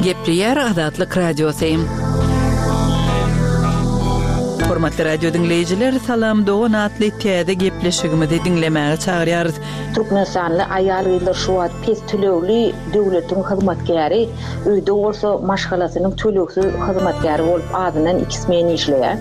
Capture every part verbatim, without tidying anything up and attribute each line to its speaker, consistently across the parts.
Speaker 1: Gepleýär Azatlyk Radiosy. Hormatly radio diňleýjiler, Salam dogan atly täze gepleşigimizi diňlemäge çagyrýarys.
Speaker 2: Türkmenistanly aýal-gyzlar şu wagt pes tölegli döwletiň hyzmatkäri, öýde bolsa maşgalasynyň tölegsiz hyzmatkäri bolup azyndan iki smen işleýär.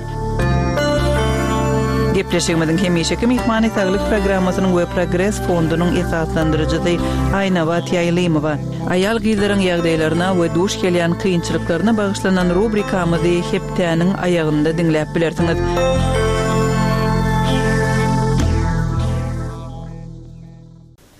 Speaker 1: Gepleşigimiziň hemişeki myhmany Saglyk programmasynyň we Progres fondunyň esaslandyryjysy Aýnabat Ýaýlymowa. Aýal-gyzlaryň ýagdaýlaryna we duş gelýän kynçylyklaryna bagyşlanan rubrikamyzy hepdäniň aýagynda diňläp bilersiňiz.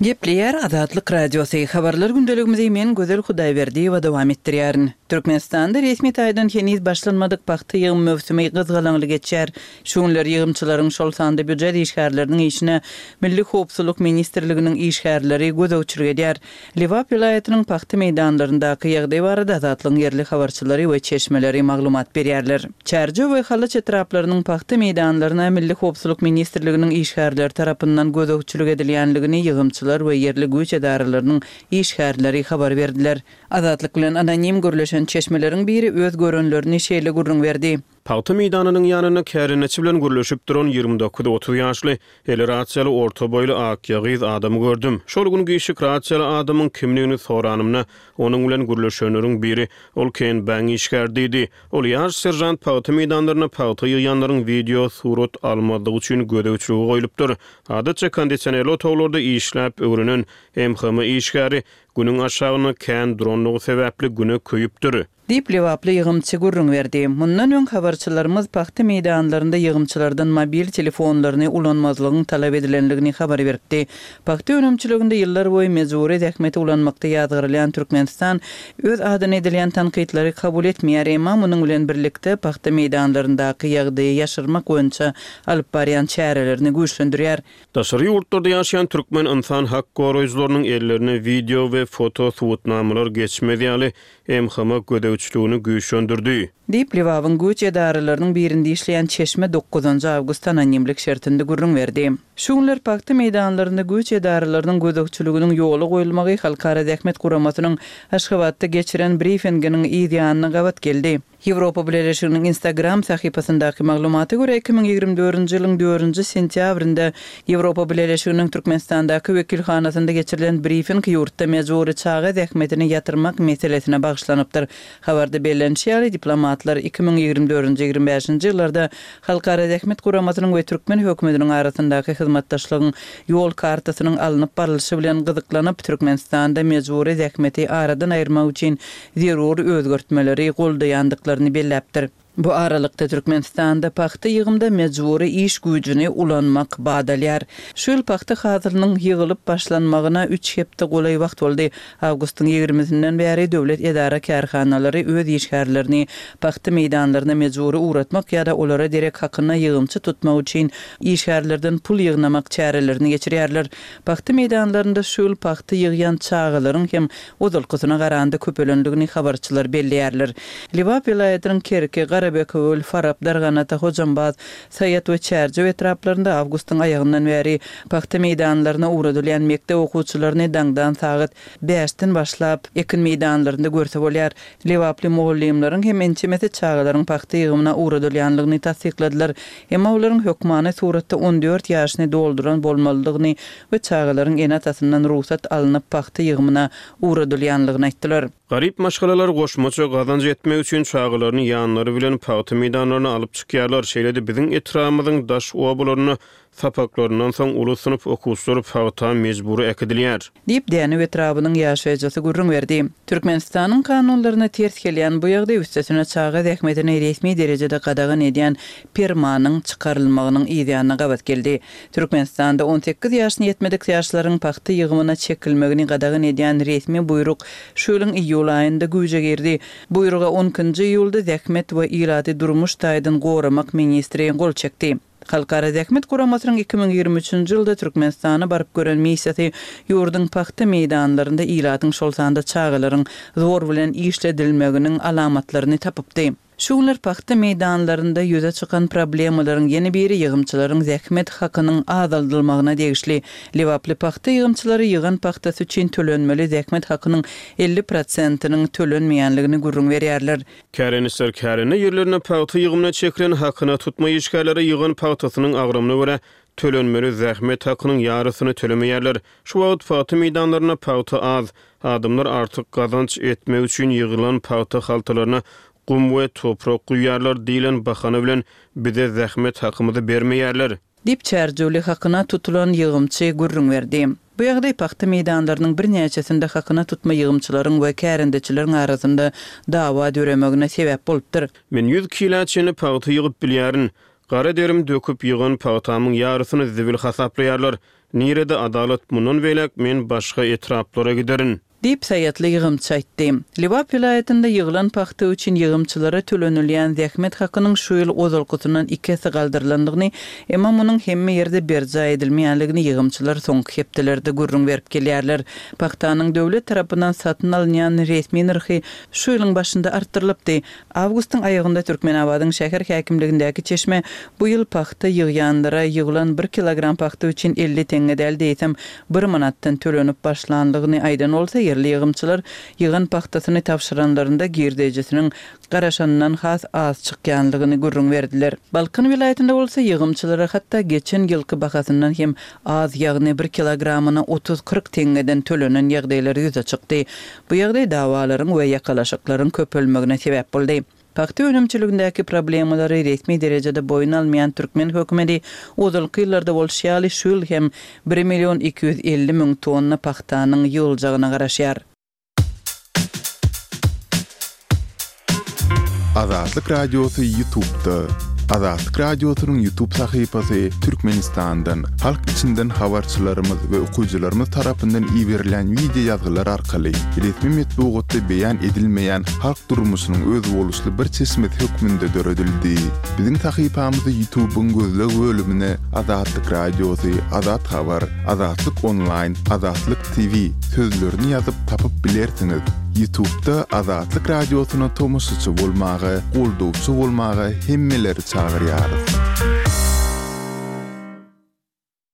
Speaker 1: Gepleýär Azatlyk Radiosy. Habarlar gündeligimizi men Gözel Hudaýberdiýewa dowam etdirýärin. Türkmenistanda resmi taýdan heniz başlanmadyk pagta ýygym möwsümi gyzgalaňly geçýär. Şu günler ýygymçylaryň, şol sanda býujet işgärleriniň işine Milli howpsuzlyk ministrliginiň işgärleri gözegçilik edýär. Lebap welaýatynyň pagta meýdanlaryndaky ýagdaý barada Azatlygyň ýerli habarçylary we çeşmeleri maglumat berýärler. Çärjew we Halaç etraplarynyň pagta meýdanlaryna Milli howpsuzlyk ministrliginiň işgärleri tarapyndan gözegçilik edilýänligini ýygymçylar we ýerli güýç edaralarynyň işgärleri habar berdiler. Azatlyk bilen anonim gürleşen çeşmeleriň biri öz görenlerini şeýle gürrüň berdi.
Speaker 3: Pagta meýdanynyň ýanynda kärendeçi bilen gürleşip duran ýigrimi dokuz otuz ýaşly, eli rasiýaly orta boýly akýagyz adamy gördüm. Şol gün giçlik rasiýaly adamyň kimligini soranymda, onuň bilen gürleşenleriň biri, ol K N B-niň işgäri diýdi. Ol ýaş seržant pagta meýdanlarynda pagta ýygýanlaryň wideo surat almazlygy üçin gözegçilige goýlupdyr. Adatça kondisionerli otaglarda işläp öwrenen M H M işgäri günüň aşagynda kän duranlygy sebäpli güne köýüpdir.
Speaker 1: Diýip lebaply ýygymçy gürrüň berdi. Mundan öň habarçylarymyz pagta meýdanlarynda ýygymçylardan mobil telefonlaryny ulanmazlygyň talap edilenligini habar beripdi. Pagta önümçiliginde ýyllar boýy mejbury zähmeti ulanmakda ýazgarylýan Türkmenistan öz adyna edilýän tankytlary kabul etmeýär, emma munuň bilen birlikde pagta meýdanlaryndaky ýagdaýy ýaşyrmak boýunça alyp barýan çärelerini güýçlendirýär.
Speaker 3: Daşary ýurtlarda ýaşaýan türkmen insan hak goraýjylarynyň ellerine wideo we foto subutnamalar geçmez ýaly M H M gözegçiligini güýçlendirdi.
Speaker 1: Diýip Lebabyň güýç edaralarynyň birinde işleýän çeşme dokuzynjy awgust anonimlik şertinde gürrüň berdi. Şu günler pagta meýdanlarynda güýç edaralarynyň gözegçiliginiň ýola goýulmagy Halkara Zähmet Guramasynyň Aşgabatda geçiren brifinginiň yz ýanyna gabat geldi. Ýewropa Bileleşiginiň Instagram sahypasyndaky maglumata görä iki müň ýigrimi dördünji ýylyň dördünji sentýabrynda Ýewropa Bileleşiginiň Türkmenistandaky wekilhanasynda geçirilen brifing ýurtda mejbury çaga zähmetini ýatyrmak meselesine bagyşlanypdyr. Habarda bellenişi ýaly diplomatlar iki müň ýigrimi dördünji ýigrimi bäşinji ýyllarda Halkara Zähmet Guramasynyň we türkmen hökümetiniň arasyndaky hyzmatdaşlygyň ýol kartasynyň alnyp barlyşy bilen gyzyklanyp Türkmenistanda mejbury zähmeti aradan aýyrmak üçin zerur özgertmeleri goldaýandyklaryny belläpdir. Bu aralykda Türkmenistanda pagta ýygymda mejbury iş güýjüni ulanmak badalýar. Şu ýyl pagta hasylynyň ýygylyp başlanmagyna üç hepde golaý wagt boldy. Awgustyň ýigrimisinden bäri döwlet edara kärhanalary öz işgärlerini pagta meýdanlaryna mejbury ugratmak ýa-da olara derek hakyna ýygymçy tutmak üçin işgärlerden pul ýygnamak çärelerini geçirýärler. Pagta meýdanlarynda şu ýyl pagta ýygýan çagalaryň hem ozalkysyna garanda köpelendigini habarçylar belleýärler. Lebap welaýatynyň Kerki, Garabekewül, Farap, Darganata, Hojambaz, Saýat we Çärjew etraplarynda awgustyň aýagyndan bäri pagta meýdanlaryna ugradylýan mekdep okuwçylaryny daňdan sagat bäşden başlap ekin meýdanlarynda görse bolýar. Lebaply mugallymlaryň hem ençemesi çagalaryň pagta ýygymyna ugradylýanlygyny tassykladylar. Emma olaryň hökmany suratda on dört ýaşyny dolduran bolmalydygyny we çagalaryň ene-atasyndan rugsat alnyp pagta ýygymyna ugradylýanlygyny aýtdylar.
Speaker 3: Garyp maşgalalar goşmaça gazanç etmek üçin çagalaryny ýanlary bilen pagta meýdanlaryna alyp çykýarlar. Şeýle-de biziň etrabymyzyň daş obalarynda sapaklaryndan soň uly synp okuwçylary pagta mejbury äkidilýär.
Speaker 1: Diýip Dänew etrabynyň ýaşaýjysy gürrüň berdi. Türkmenistanyň kanunlaryna ters gelýän bu ýagdaý üstesine çaga zähmetini resmi derejede gadagan edýän permanyň çykarylmagynyň yz ýanyna gabat geldi. Türkmenistanda on sekiz ýaşyny ýetmedik ýaşlaryň pagta ýygymyna çekilmegini gadagan edýän resmi buýruk şu ýylyň iýul aýynda güýje girdi. Buýruga on ikinji iýulda Zähmet we ilaty durmuş taýdan goramak ministri gol çekdi. Halkara Zähmet Guramasynyň iki müň ýigrimi üçünji ýylda Türkmenistana baryp gören missiýasy ýurduň pagta meýdanlarynda ilatyň şol sanda çagalaryň zor bilen işledilmeginiň alamatlaryny tapypdy. Şu günler pagta meýdanlarynda ýüze çykan problemalaryň ýene biri ýygymçylaryň zähmet hakynyň azaldylmagyna degişli. Lebaply pagta ýygymçylary ýygan pagtasy üçin tölenmeli zähmet hakynyň elli prosentiniň tölenmeýänligini gürrüň berýärler.
Speaker 3: Kärendeçiler kärende ýerlerinde pagta ýygymyna çekilen hakyna tutma işgärlere ýygan pagtasynyň agramyna görä tölenmeli zähmet hakynyň ýarysyny tölemeýärler. Şu wagt pagta meýdanlarynda pagta az, adamlar artyk gazanç etmek üçin ýygylan pagta haltalaryna gum we toprak guýýarlar diýlen bahana bilen bize zähmet hakymyzy bermeýärler.
Speaker 1: Diýip, çärjewli hakyna tutulan ýygymçy gürrüň berdi. Bu ýagdaý pagta meýdanlarynyň birnäçesinde hakyna tutma ýygymçylaryň we kärendeçileriň arasynda dawa döremegine sebäp bolupdyr.
Speaker 3: Men ýüz kilä çenli pagta ýygyp bilýärin. Gara derim döküp ýygan pagtamyň ýarysyny zibil hasaplaýarlar. Nirede adalat, mundan beýläk men başga etraplara giderin.
Speaker 1: Diýip, saýatly ýygymçy aýtdy. Lebap welaýatynda ýygylan pagta üçin ýygymçylara tölenilýän zähmet hakynyň şu ýyl ozalkysyndan iki esse galdyrylandygyny, emma munuň hemme ýerde berjaý edilmeýänligini ýygymçylar soňky hepdelerde gürrüň berip gelýärler. Pagtanyň döwlet tarapyndan satyn alynýan resmi nyrhy şu ýylyň başynda artdyrylypdy. Awgustyň aýagynda Türkmenabadyň şäher häkimligindäki çeşme bu ýyl pagta ýygýanlara ýygylan bir kilogram pagta üçin elli teňňe däl-de, eýsem, bir manatdan tölenip başlanlygyny aýdan bolsa, ýerli ýygymçylar ýygan pagtasyny tabşyranlarynda girdejisiniň garaşanyndan has az çykýanlygyny gürrüň berdiler. Balkan welaýatynda bolsa ýygymçylara hatda geçen ýylky bahasyndan hem az, ýagny bir kilogramyna otuz-kyrk teňňeden tölenen ýagdaýlar ýüze çykdy. Bu ýagdaý dawalaryň we ýakalaşyklaryň köpelmegine sebäp boldy. Pagta önümçiligindäki problemalary resmi derejede boýun almaýan türkmen hökümeti ozalky ýyllarda bolşy ýaly şu ýyl hem bir million iki ýüz elli müň tonna pagtanyň ýygyljagyna garaşýar.
Speaker 4: Azatlyk Radiosy YouTube'da. Azatlyk Radiosynyň YouTube sahypasy Türkmenistandan, halk içinden habarçylarymyz we okyjylarymyz tarapyndan iberilýän wideo ýazgylar arkaly resmi metbugatda beýan edilmeýän halk durmuşynyň özboluşly bir çeşmesi hökmünde döredildi. Biziň sahypamyzy YouTube-yň gözleg bölümine Azatlyk Radiosy, Azat Habar, Azatlyk Onlaýn, Azatlyk T V sözlerini ýazyp tapyp bilersiňiz. YouTube-da Azatlyk Radiosyna tomaşaçy bolmaga, goldawçy bolmaga hemmeleri çagyrýarys.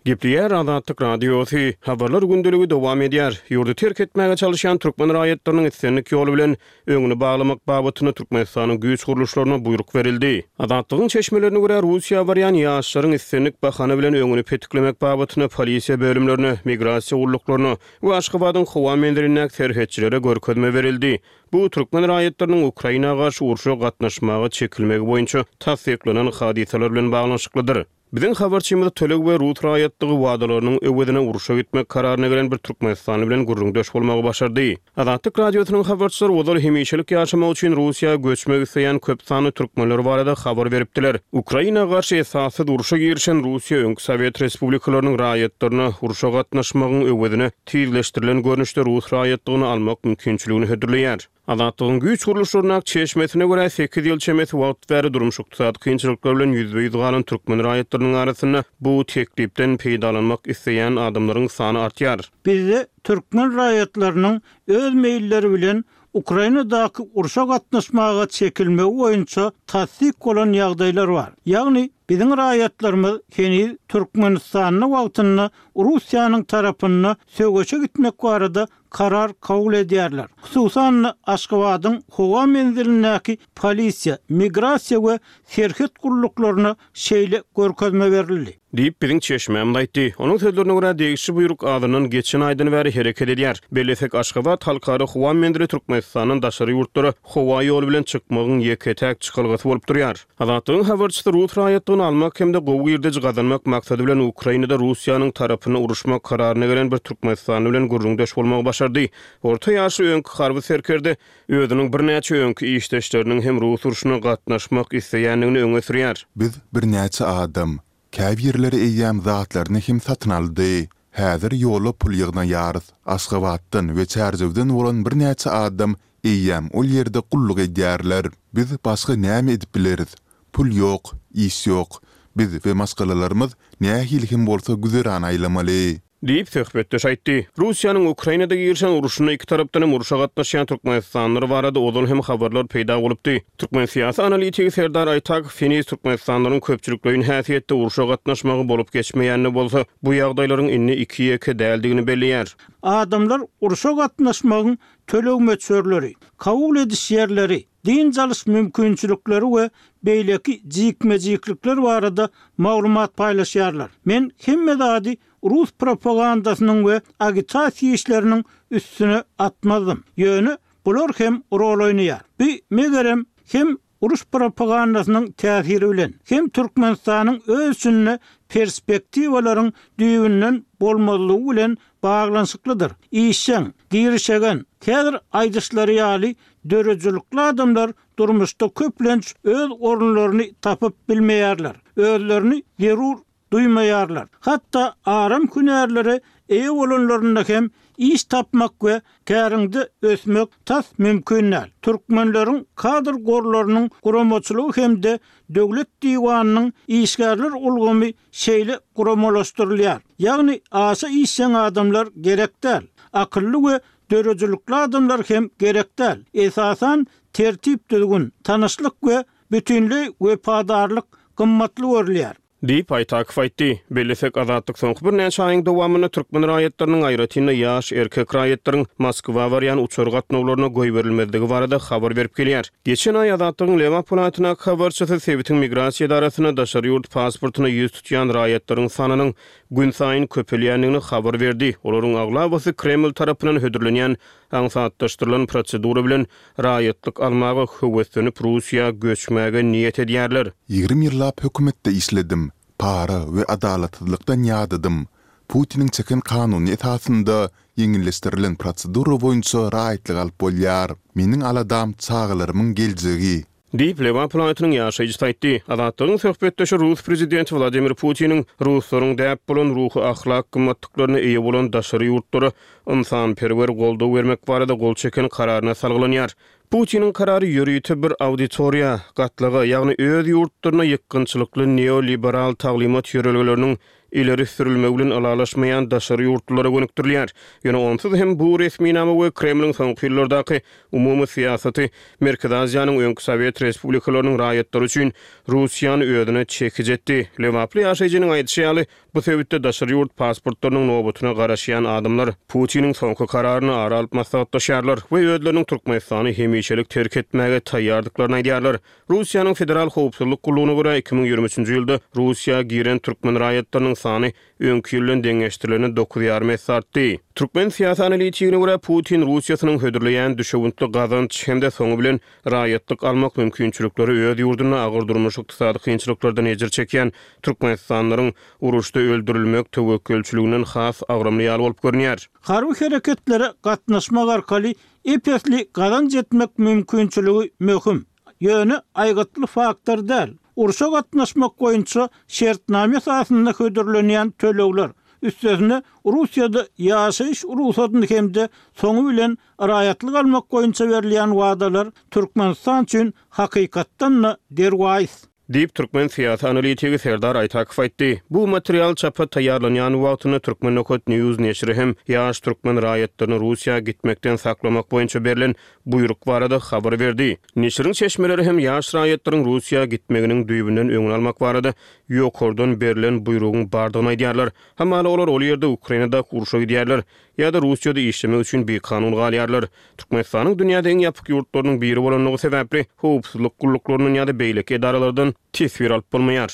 Speaker 3: Gepleýär Azatlyk Radiosy, Habarlar gündeligi dowam edýär. Ýurdy terk etmäge çalyşýan türkmen raýatlarynyň islendik ýoly bilen öňüni baglamak babatynda Türkmenistanyň güýç gurluşlaryna buýruk berildi. Azatlygyň çeşmelerine görä, Russiýa barýan ýaşlaryň islendik bahana bilen öňüni petiklemek babatynda polisiýa bölümlerine, migrasiýa gulluklaryna we Aşgabadyň howa menzilindäki serhetçilere görkezme berildi. Bu türkmen raýatlarynyň Ukraina garşy urşa gatnaşmaga çekilmegi boýunça tassyklanan hadysalar bilen baglanyşyklydyr. Biziň habarçymyz töleg we rus raýatlygy wadalarynyň öwezine urşa gitmek kararyna gelen bir türkmenistanly bilen gürrüňdeş bolmagy başardy. Azatlyk Radiosynyň habarçylary ozal hemişelik ýaşamak üçin Russiýa göçmek isleýän köp sanly türkmenler barada habar beripdiler. Ukraina garşy esassyz urşa girişen Russiýa öňki sowet respublikalarynyň raýatlaryna urşa gatnaşmagyň öwezine tizleşdirilen görnüşde rus raýatlygyny almak mümkinçiligini hödürleýär. Azatlygyň güýç gurluşlaryndaky çeşmesine görä, sekiz ýyl çemesi wagt bäri durmuş-ykdysady kynçylyklar bilen ýüzbe-ýüz galan türkmen raýatlarynyň arasynda bu teklipden peýdalanmak isleýän adamlaryň sany artýar.
Speaker 5: Bizde türkmen raýatlarynyň öz meýilleri bilen Ukrainadaky urşa gatnaşmaga çekilmegi boýunça tassyk bolan ýagdaýlar bar. Ýagny biziň raýatlarymyz heniz Türkmenistanda wagtynda Russiýanyň tarapynda söweşe gitmek barada karar kabul edýärler. Hususan-da, Aşgabadyň howa menzilindäki polisiýa, migrasiýa we serhet gulluklaryna şeýle görkezme berildi.
Speaker 3: Diýip, biziň çeşmämiz aýtdy. Onuň sözlerine görä, degişli buýruk azyndan geçen aýdan bäri hereket edýär. Bellesek, Aşgabat halkara howa menzili Türkmenistandan daşary ýurtlara howa ýoly bilen çykmagyň ýeke-täk çykalgasy bolup durýar. Azatlygyň habarçysy rus raýatlygyny almak hem-de gowy girdeji gazanmak maksady bilen Ukrainada Russiýanyň tarapyna uruşmak kararyna gelen bir türkmenistanly bilen gürrüňdeş bolmagy başardy. Orta ýaşly öňki harby serkerde özüniň birnäçe öňki işdeşleriniň hem rus urşuna gatnaşmak isleýändigini öňe sürýär.
Speaker 4: Biz birnäçe adam. Käbirleri eýýäm zatlaryny hem satyn aldy. Häzir ýola pul ýygnaýarys. Aşgabatdan we Çärjewden bolan birnäçe adam eýýäm ol ýerde gulluk edýärler. Biz başga näme edip bileris? Pul ýok, iş ýok. Biz we maşgalalarymyz nähili hem bolsa güzeran aýlamaly.
Speaker 3: Diýip, söhbetdeş aýtdy. Russiýanyň Ukrainada girişen urşunda iki tarapdan hem urşa gatnaşýan türkmenistanlylar barada ozal hem habarlar peýda bolupdy. Türkmen syýasy analitigi Serdar Aýtakow heniz türkmenistanlylaryň köpçülikleýin häsiýetde urşa gatnaşmagy bolup geçmeýän-de bolsa, bu ýagdaýlaryň indi iki-ýeke däldigini belleýär.
Speaker 5: Adamlar urşa gatnaşmagyň töleg möçberleri, kabul ediş ýerleri, dynç alyş mümkinçilikleri we beýleki jikme-jiklikler barada maglumat paýlaşýarlar. Men hemme zady rus propagandasynyň we agitasiýa işleriniň üstüne atmazdym. Ýöne bular hem rol oýnaýar. Bu, megerem, hem uruş propagandasynyň täsiri bilen, hem Türkmenistanyň öz içinde perspektiwalaryň düýbünden bolmazlygy bilen baglanyşyklydyr. Işjeň, girişegen, häzir aýdyşlary ýaly döredijilikli adamlar durmuşda köplenç öz orunlaryny tapyp bilmeýärler, özlerini zerur duýmaýarlar. Hatda aram hünärlere eýe bolanlarynda hem iş tapmak we käriňde ösmek tas mümkin däl. Türkmenleriň kadr gorlarynyň guramaçylygy hem-de Döwlet diwanynyň işgärler ulgamy şeýle guramalaşdyrylýar. Ýagny aşa işjeň adamlar gerek däl. Akylly we döredijilikli adamlar hem gerek däl. Esasan tertip-düzgün, tanyşlyk we bütinleý wepadarlyk gymmatly görülýär.
Speaker 3: Diýip, Aýtakow aýtdy. Bellesek, Azatlyk soňky birnäçe aýyň dowamynda türkmen raýatlarynyň, aýratyn-da, ýaş erkek raýatlaryň Moskwa barýan uçar gatnawlaryna goýberilmezligi barada habar berip gelýär. Geçen aý Azatlygyň Lebap welaýatyndaky habarçysy sebitiň migrasiýa edarasynda daşary ýurt pasportyna ýüz tutýan raýatlaryň sanynyň günsaýyn köpelýändigini habar berdi. Olaryň aglabasy Kreml tarapyndan hödürlenýän aňsatlaşdyrylan prosedura bilen raýatlyk almaga höweslenip Russiýa göçmäge niýet edýärler.
Speaker 4: Ýigrimi ýyllap hökümetde işledim. Para we adalatsyzlykdan ýadadym. Putiniň çeken kanuny esasynda ýeňilleşdirilen prosedura boýunça raýatlyk alyp bolýar. Meniň aladam çagalarymyň geljegi.
Speaker 3: Diýip, Lebap welaýatynyň ýaşaýjysy aýtdy. Azatlygyň söhbetdeşi rus prezidenti Wladimir Putiniň ruslaryň däp bolan ruhy-ahlak gymmatlyklaryna eýe bolan daşary ýurtlara ynsanperwer goldaw bermek barada gol çeken kararyna salgylanýar. Putiniň karary ýörite bir auditoriýa, gatlaga, ýagny öz ýurtlaryna ýykgynçylykly neoliberal taglymat ýörelgeleriniň ileri sürülmegi bilen ylalaşmaýan daşary ýurtlulara gönükdirilýär. Ýöne onsuz hem bu resminama we Kremliň soňky ýyllardaky umumy syýasaty Merkezi Aziýanyň öňki sowet respublikalarynyň raýatlary üçin Russiýany özüne çekiji etdi. Lebaply ýaşaýjynyň aýdyşy ýaly, bu sebitde daşary ýurt pasportlarynyň nobatyna garaşýan adamlar Putiniň soňky kararyny ara alyp maslahatlaşýarlar we özleriniň Türkmenistany hemişelik terk etmäge taýýardyklaryny aýdýarlar. Russiýanyň Federal howpsuzlyk gullugyna görä, iki müň ýigrimi üçünji ýylda Russiýa giren türkmen raýatlarynyň sany öňki ýyl bilen deňeşdirilende dokuz ýarym esse artdy. Türkmen syýasy analitigine görä, Putin Russiýasynyň hödürleýän düşewüntli gazanç hem-de soňy bilen raýatlyk almak mümkinçilikleri öz ýurdunda agyr durmuş-ykdysady kynçylyklardan ejir çekýän türkmenistanlylaryň uruşda öldürilmek töwekgelçiliginden has agramly ýaly bolup görünýär.
Speaker 5: Harby hereketlere gatnaşmak arkaly ep-esli gazanç etmek mümkinçiligi möhüm. Ýöne aýgytly faktor däl. Urşa gatnaşmak boýunça şertnama esasynda hödürlenýän tölegler, üstesine Russiýada ýaşaýyş rugsadyny hem-de soňy bilen raýatlyk almak boýunça berilýän wadalar Türkmenistan üçin hakykatdan-da derwaýys.
Speaker 3: Diýip, türkmen syýasy analitigi Serdar Aýtakow aýtdy. Bu material çapa taýýarlanýan wagtynda Turkmen nokat News neşiri hem ýaş türkmen raýatlaryny Russiýa gitmekden saklamak boýunça berlen buýruk barada habar berdi. Neşiriň çeşmeleri hem ýaş raýatlaryň Russiýa gitmeginiň düýbünden öňüni almak barada ýokardan berlen buýrugyň bardygyny aýdýarlar. Hamala olar ol ýerde Ukrainadaky urşa gidýärler ýa-da Russiýada işlemek üçin bikanun galýarlar. Türkmenistanyň dünýäde iň ýapyk ýurtlarynyň biri bolanlygy sebäpli, howpsuzlyk gulluklaryndan ýa-da beýleki edaralardan teswir alyp bolmaýar.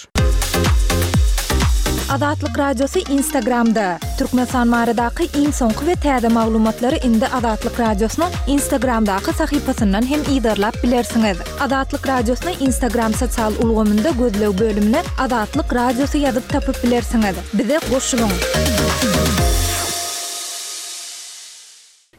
Speaker 6: Azatlyk Radiosy Instagramda, Türkmenistan baradaky iň soňky we täze maglumatlary indi Azatlyk Radiosynyň Instagramdaky sahypasyndan hem yzarlap bilersiňiz. Azatlyk Radiosyny Instagram sosial ulgamynda gözleg bölümine Azatlyk Radiosy ýazyp tapyp bilersiňiz. Bize goşulyň!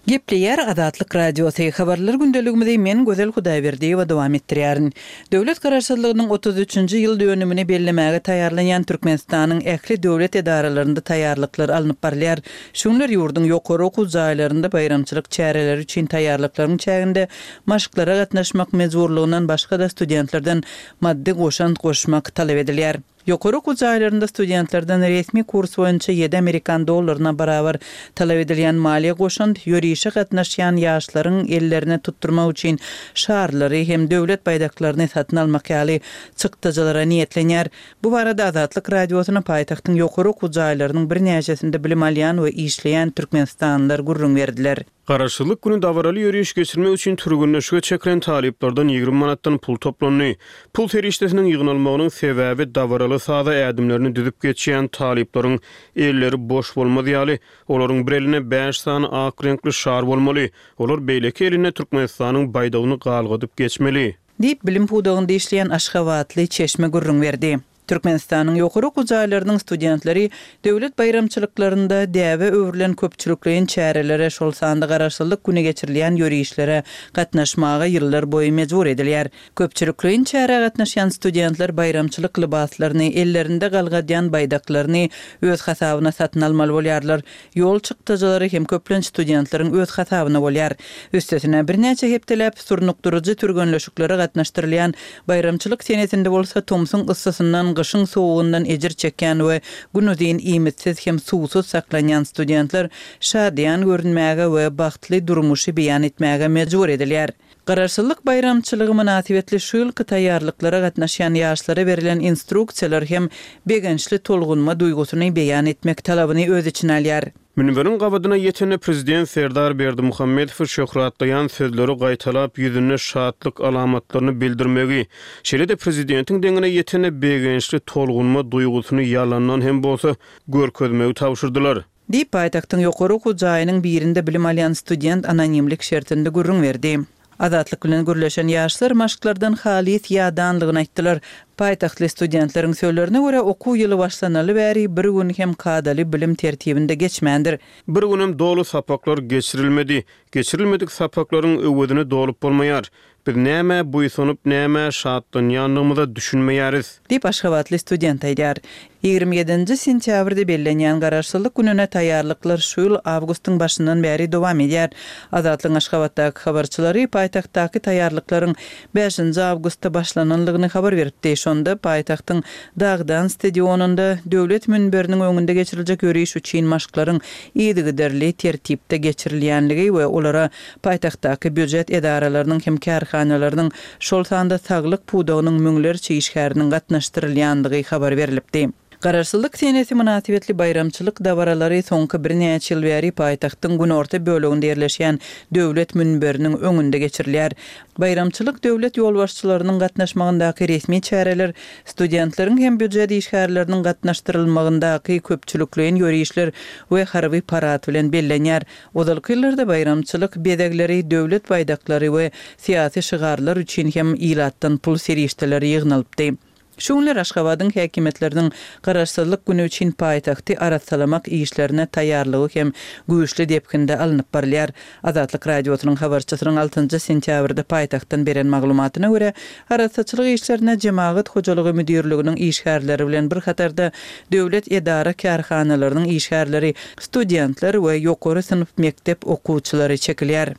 Speaker 1: Gepleýär Azatlyk Radiosy, Habarlar gündeligimizi men Gözel Hudaýberdiýewa dowam etdirýärin. Döwlet Garaşsyzlygynyň otuz üçünji ýyl dönümini bellemäge taýýarlanýan Türkmenistanyň ähli döwlet edaralarynda taýýarlyklar alnyp barylýar. Şu günler ýurduň ýokary okuw jaýlarynda baýramçylyk çäreleri üçin taýýarlyklaryň çäginde maşklara gatnaşmak mejburlygyndan başga-da studentlerden maddy goşant goşmak talap edilýär. Ýokary okuw jaýlarynda studentlerden resmi kurs boýunça ýedi amerikan dollaryna barabar talap edilýän maliýe goşant ýörişe gatnaşýan ýaşlaryň ellerine tutdurmak üçin şarlary hem döwlet baýdaklaryny satyn almak ýaly çykdajylara niýetlenýär. Bu barada Azatlyk Radiosyna paýtagtyň ýokary okuw jaýlarynyň birnäçesinde bilim alýan we işleýän türkmenistanlylar gürrüň berdiler.
Speaker 3: Garaşsyzlyk güni dabaraly ýöriş geçirmek üçin türgenleşige çekilen talyplardan ýigrimi manatdan pul toplandy. Pul serişdesiniň ýygnalmagynyň sebäbi dabaraly saza ädimlerini düzüp geçýän talyplaryň elleri boş bolmaz ýaly, olaryň bir elinde bäş sany ak reňkli şar bolmaly, olar beýleki elinde Türkmenistanyň baýdagyny galgadyp geçmeli.
Speaker 1: Diýip, bilim pudagynda işleýän aşgabatly çeşme gürrüň berdi. Türkmenistanyň ýokary okuw jaýlarynyň studentleri döwlet baýramçylyklarynda däbe öwrülen köpçülikleýin çärelere, şol sanda Garaşsyzlyk güni geçirilýän ýörişlere gatnaşmaga ýyllar boýy mejbur edilýär. Köpçülikleýin çärä gatnaşýan studentler baýramçylyk lybaslaryny, ellerinde galgadýan baýdaklaryny öz hasabyna satyn almaly bolýarlar. Ýol çykdajylary hem köplenç studentleriň öz hasabyna bolýar. Üstesine, birnäçe hepdeläp surnukdyryjy türgenleşiklere gatnaşdyrylýan baýramçylyk senesinde bolsa tomsuň yssysyndan, gyşyň sowugyndan ejir çekýän we günuzyn iýmitsiz hem suwsuz saklanýan studentler şadyýan görünmäge we bagtly durmuşy beýan etmäge mejbur edilýär. Garaşsyzlyk baýramçylygy mynasybetli şu ýylky taýýarlyklara gatnaşýan ýaşlara berlen instruksiýalar hem begençli tolgunma duýgusyny beýan etmek talabyny öz içine alýar.
Speaker 3: Münberiň gabadyna ýetende prezident Serdar Berdimuhamedowy şöhratlaýan sözleri gaýtalap ýüzünde şatlyk alamatlaryny bildirmegi, şeýle-de prezidentiň deňine ýetende begençli tolgunma duýgusyny ýalandan hem bolsa görkezmegi tabşyrdylar.
Speaker 1: Diýip, paýtagtyň ýokary okuw jaýynyň birinde bilim alýan student anonimlik şertinde gürrüň berdi. Azatlyk bilen gürleşen ýaşlar maşklardan halys ýadanlygyny aýtdylar. Paýtagtly studentleriň sözlerine görä, okuw ýyly başlanaly bäri bir gün hem kadaly bilim tertibinde geçmändir.
Speaker 3: Bir günem doly sapaklar geçirilmedi. Geçirilmedik sapaklaryň öwezini dolup bolmaýar. Biz nämä buýsanyp, nämä şatlanýandygymyza düşünmeýäris.
Speaker 1: Diýip, aşgabatly student aýdýar. Ýigrimi ýedinji sentýabrda bellenýän Garaşsyzlyk gününe taýýarlyklar şu ýyl awgustyň başyndan bäri dowam edýär. Azatlygyň Aşgabatdaky habarçylary paýtagtdaky taýýarlyklaryň bäşinji awgustda başlananlygyny habar beripdi. Şonda paýtagtyň Dagdan stadionynda Döwlet münberiniň öňünde geçiriljek ýöriş üçin maşklaryň yzygiderli tertipde geçirilýänligi we olara paýtagtdaky býujet edaralarynyň hem kärhanalarynyň, şol sanda saglyk pudagynyň müňlerçe işgäriniň gatnaşdyrylýandygy habar berlipdi. Garaşsyzlyk senesi mynasybetli baýramçylyk dabaralary soňky birnäçe ýyl bäri paýtagtyň günorta böleginde ýerleşýän Döwlet münberiniň öňünde geçirilýär. Baýramçylyk döwlet ýolbaşçylarynyň gatnaşmagyndaky resmi çäreler, studentleriň hem býujet işgärleriniň gatnaşdyrylmagyndaky köpçülikleýin ýörişler we harby parad bilen bellenýär. Ozalky ýyllarda baýramçylyk bezegleri, döwlet baýdaklary we syýasy şygarlar üçin hem ilatdan pul serişdeleri ýygnalypdy. Şu günler Aşgabadyň häkimiýetleriniň Garaşsyzlyk güni üçin paýtagty arassalamak işlerine taýýarlygy hem güýçli depginde alnyp barylýar. Azatlyk Radiosynyň habarçysynyň altynjy sentýabrda paýtagtdan beren maglumatyna görä, arassaçylyk işlerine Jemagat hojalygy müdirliginiň işgärleri bilen bir hatarda döwlet edara-kärhanalarynyň işgärleri, studentler we ýokary synp mekdep okuwçylary çekilýär.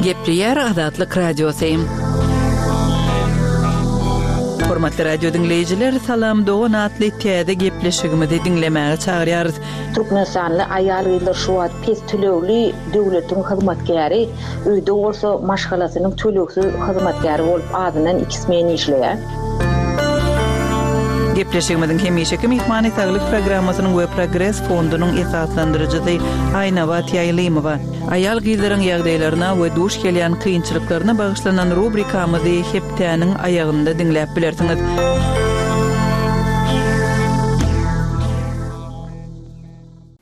Speaker 1: Gepleýär Azatlyk Radiosy. Hormatly radio diňleýjiler, Salam dogan atly täze gepleşigimizi diňlemäge çagyrýarys.
Speaker 2: Türkmenistanly aýal-gyzlar şu wagt pes tölegli döwletiň hyzmatkäri, öýde bolsa maşgalasynyň tölegsiz hyzmatkäri bolup azyndan iki smen işleýär.
Speaker 1: Gepleşigimiziň hemişeki myhmany Saglyk programmasynyň we Progres fondunyň esaslandyryjysy Aýnabat Ýaýlymowa. Aýal-gyzlaryň ýagdaýlaryna we duş gelýän kynçylyklaryna bagyşlanan rubrikamyzy hepdäniň aýagynda diňläp bilersiňiz.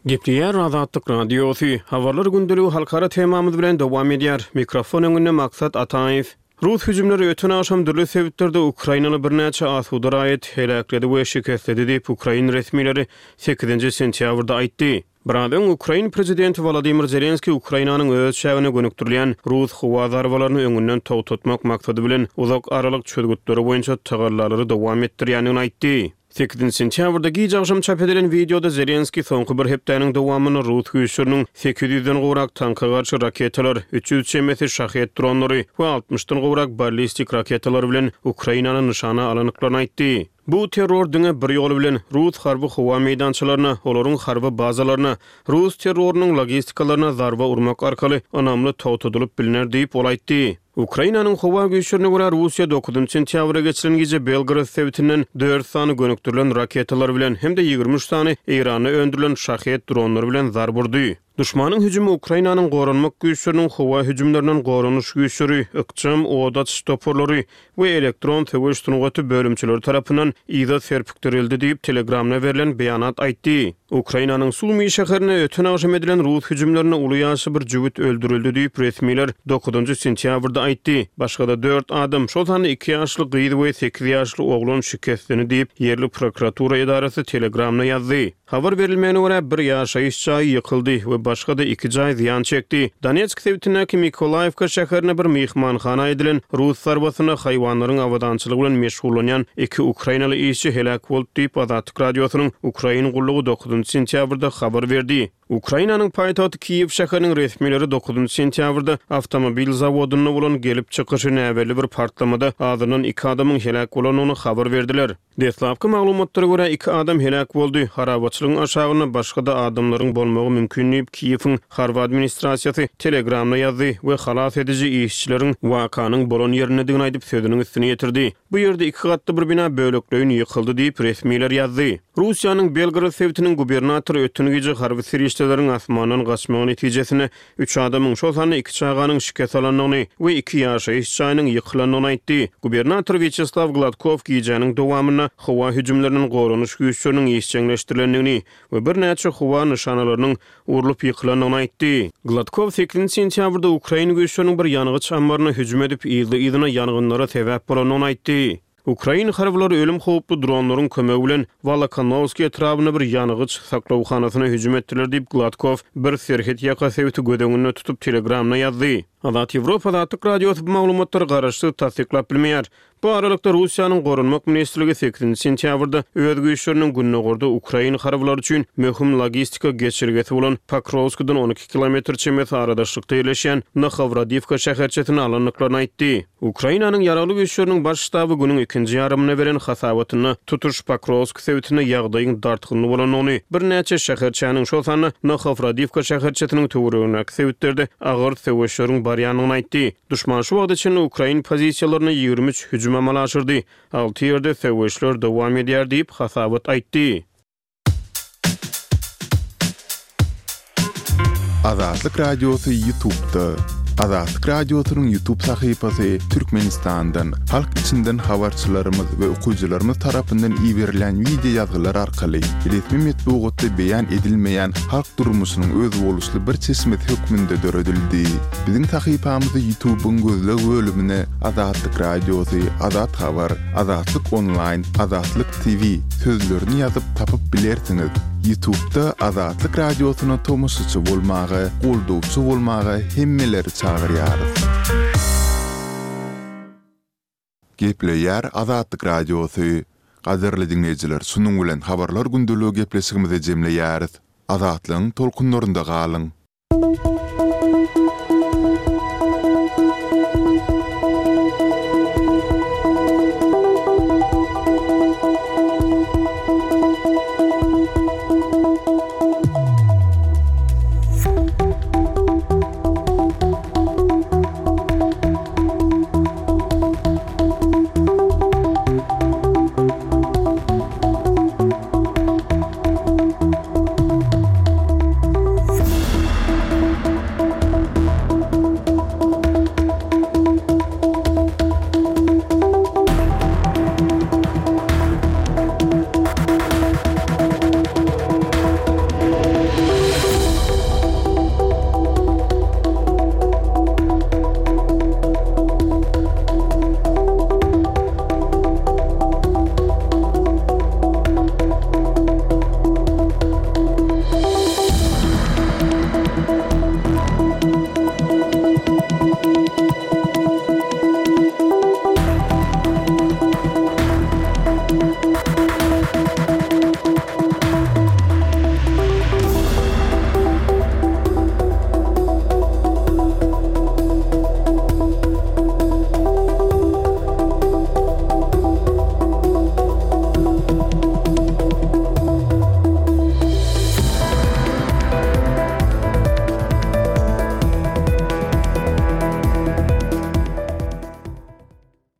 Speaker 3: Gepleýär Azatlyk Radiosy. Habarlar gündeligi halkara temamyz bilen dowam edýär. Mikrofon öňünde Maksat Ataýew. Rus hüjümleri öten agşam dürli sebitlerde ukrainaly birnäçe asuda raýat heläkledi we şikesledi diýip, ukrain resmileri sekizinji sentýabrda aýtdy. Biraz öň ukrain prezidenti Wolodymyr Zelenskiý Ukrainanyň öz çägine gönükdirilýän rus howa zarbalaryny öňünden togtatmak maksady bilen uzak aralyk çözgütleri boýunça tagallalary dowam etdirýändigini aýtdy. Sekizinji sentýabrda giç agşam çap edilen wideoda Zelenskiý soňky bir hepdäniň dowamynda rus güýçleriniň sekiz ýüzden gowrak tanka garşy raketalar, üç ýüz çemesi Şahed dronlary we altmyşdan gowrak ballistik raketalar bilen Ukrainany nyşana alandyklaryny aýtdy. Bu terror diňe bir ýol bilen, rus harby howa meýdançalaryna, olaryň harby bazalaryna, rus terrorynyň logistikalaryna zarba urmak arkaly ynamly togtadylyp bilner diýip, ol aýtdy. Ukrainanyň howa güýçlerine görä, Russiýa dokuzynjy sentýabrda geçiren gije Belgorod sebitinden dört sany gönükdirilen raketalar bilen hem-de ýigrimi üç sany Eýranda öndürilen Şahed dronlary bilen zarba urdy. Duşmanyň hüjümi Ukrainanyň goranmak güýçleriniň howa hüjümlerinden goranyş güýçleri, ykjam od açyş toparlary we elektron söweş sungaty bölümçeleri tarapyndan yza serpikdirildi diýip, Telegramda berlen beýanat aýtdy. Ukrainanyň Sumy şäherinde öten agşam edilen rus hüjümlerinde uly ýaşly bir jübüt öldürildi diýip, resmiler dokuzynjy sentýabrda aýtdy. Başga-da dört adam, şol sanda iki ýaşly gyz we sekiz ýaşly oglan şikeslendi diýip, ýerli prokuratura edarasy Telegramda ýazdy. Habar berilmegine görä, bir ýaşaýyş jaýy ýykyldy we başga-da iki jaý zyýan çekdi. Donetsk sebitindäki Mikolaýewka şäherinde bir myhmanhana edilen rus zarbasynda haýwanlaryň abadançylygy bilen meşgullanýan iki ukrainaly işçi heläk boldy diýip, Azatlyk Radiosynyň Ukrain gullugy dokuzynjy sentýabrda habar berdi. Ukrainanyň paýtagty Kiýew şäheriniň resmileri dokuzynjy sentýabrda awtomobil zawodynda bolan gelip çykyşy näbelli bir partlamada azyndan iki adamyň heläk bolandygyny habar berdiler. Deslapky maglumatlara görä, iki adam heläk boldy, harabaçylygyň aşagynda başga-da adamlaryň bolmagy mümkin diýip, Kiýewiň harby administrasiýasy Telegramda ýazdy we halas ediji işçileriň wakanyň bolan ýerindedigini aýdyp, sözüniň üstüni ýetirdi. Bu ýerde iki gatly bir bina bölekleýin ýykyldy diýip, resmiler ýazdy. Russiýanyň Belgorod sebitiniň gubernatory öten gije harby serişdeleriň asmandan gaçmagy netijesinde üç adamyň, şol sanda iki çaganyň şikes alandygyny we iki ýaşaýyş jaýynyň ýykylandygyny aýtdy. Gubernator Wýaçeslaw Gladkow gijäniň dowamynda howa hüjümlerinden goranyş güýçleriniň işjeňleşdirilendigini we birnäçe howa nyşanalarynyň urlup ýykylandygyny aýtdy. Gladkow sekizinji sentýabrda ukrain güýçleriniň bir ýangyç ammaryna hüjüm edip, yzly-yzyna ýangynlara sebäp bolandygyny aýtdy. Ukrain harbylary ölüm howply dronlaryň kömegi bilen Wolokonowskiý etrabynda bir ýangyç saklawhanasyna hüjüm etdiler diýip, Gladkow bir serhet ýaka sebiti göz öňünde tutup Telegramda ýazdy. Azat Ýewropa Azatlyk Radiosy bu maglumatlary garaşsyz tassyklap bilmeýär. Bu aralykda, Russiýanyň Goranmak ministrligi sekizinji sentýabrda öz güýçleriniň gündogarda ukrain harbylary üçin möhüm logistika geçelgesi bolan Pokrowskidan on iki kilometr çemesi aradaşlykda ýerleşýän Nohowradiwka şäherçesini alandyklaryny aýtdy. Ukrainanyň Ýaragly Güýçleriniň Baş ştaby günüň ikinji ýarymynda beren hasabatynda tutuş Pokrowsk sebitinde ýagdaýyň dartgynly bolandygyny, birnäçe şäherçäniň, şol sanda Nohowradiwka şäherçesiniň töweregindäki sebitlerde agyr söweşleriň barýandygyny aýtdy. Duşman şu wagta çenli ukrain pozisiýalaryna ýigrimi üç hüjüm amala aşyrdy, alty ýerde söweşler dowam edýär diýip, hasabat aýtdy.
Speaker 4: Azatlyk Radiosy YouTube'da. Azatlyk Radiosynyň YouTube sahypasy Türkmenistandan, halk içinden habarçylarymyz we okyjylarymyz tarapyndan iberilen wideo ýazgylar arkaly resmi metbugatda beýan edilmeýän halk durmuşynyň özboluşly bir çeşmesi hökmünde döredildi. Biziň sahypamyzy YouTube'yň gözleg bölümine Azatlyk Radiosy, Azat Habar, Azatlyk Onlaýn, Azatlyk T V sözlerini ýazyp tapyp bilersiňiz. YouTube'da Azatlyk Radiosyna tomaşaçy bolmaga, goldawçy bolmaga hemmeleri çagyrýarys. Gepleýär Azatlyk Radiosy. Gadyrly diňleýjiler, şunuň bilen Habarlar gündeligi gepleşigimizi jemleýäris. Azatlygyň tolkunlarynda galyň.